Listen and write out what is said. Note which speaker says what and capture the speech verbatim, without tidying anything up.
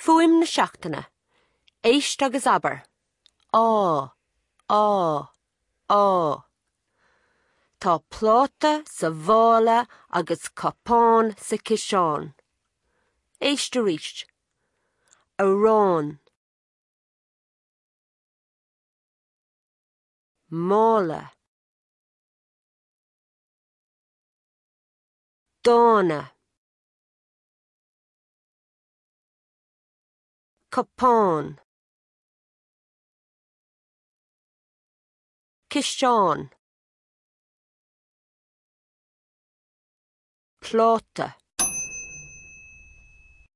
Speaker 1: Fuaim na seachtaine. Éist agus abair. Á, á, á. Tá pláta sa mhála agus cupán sa ciseán. Éist arís. Arán. Mála. Dána. Cupán. Ciseán. Pláta.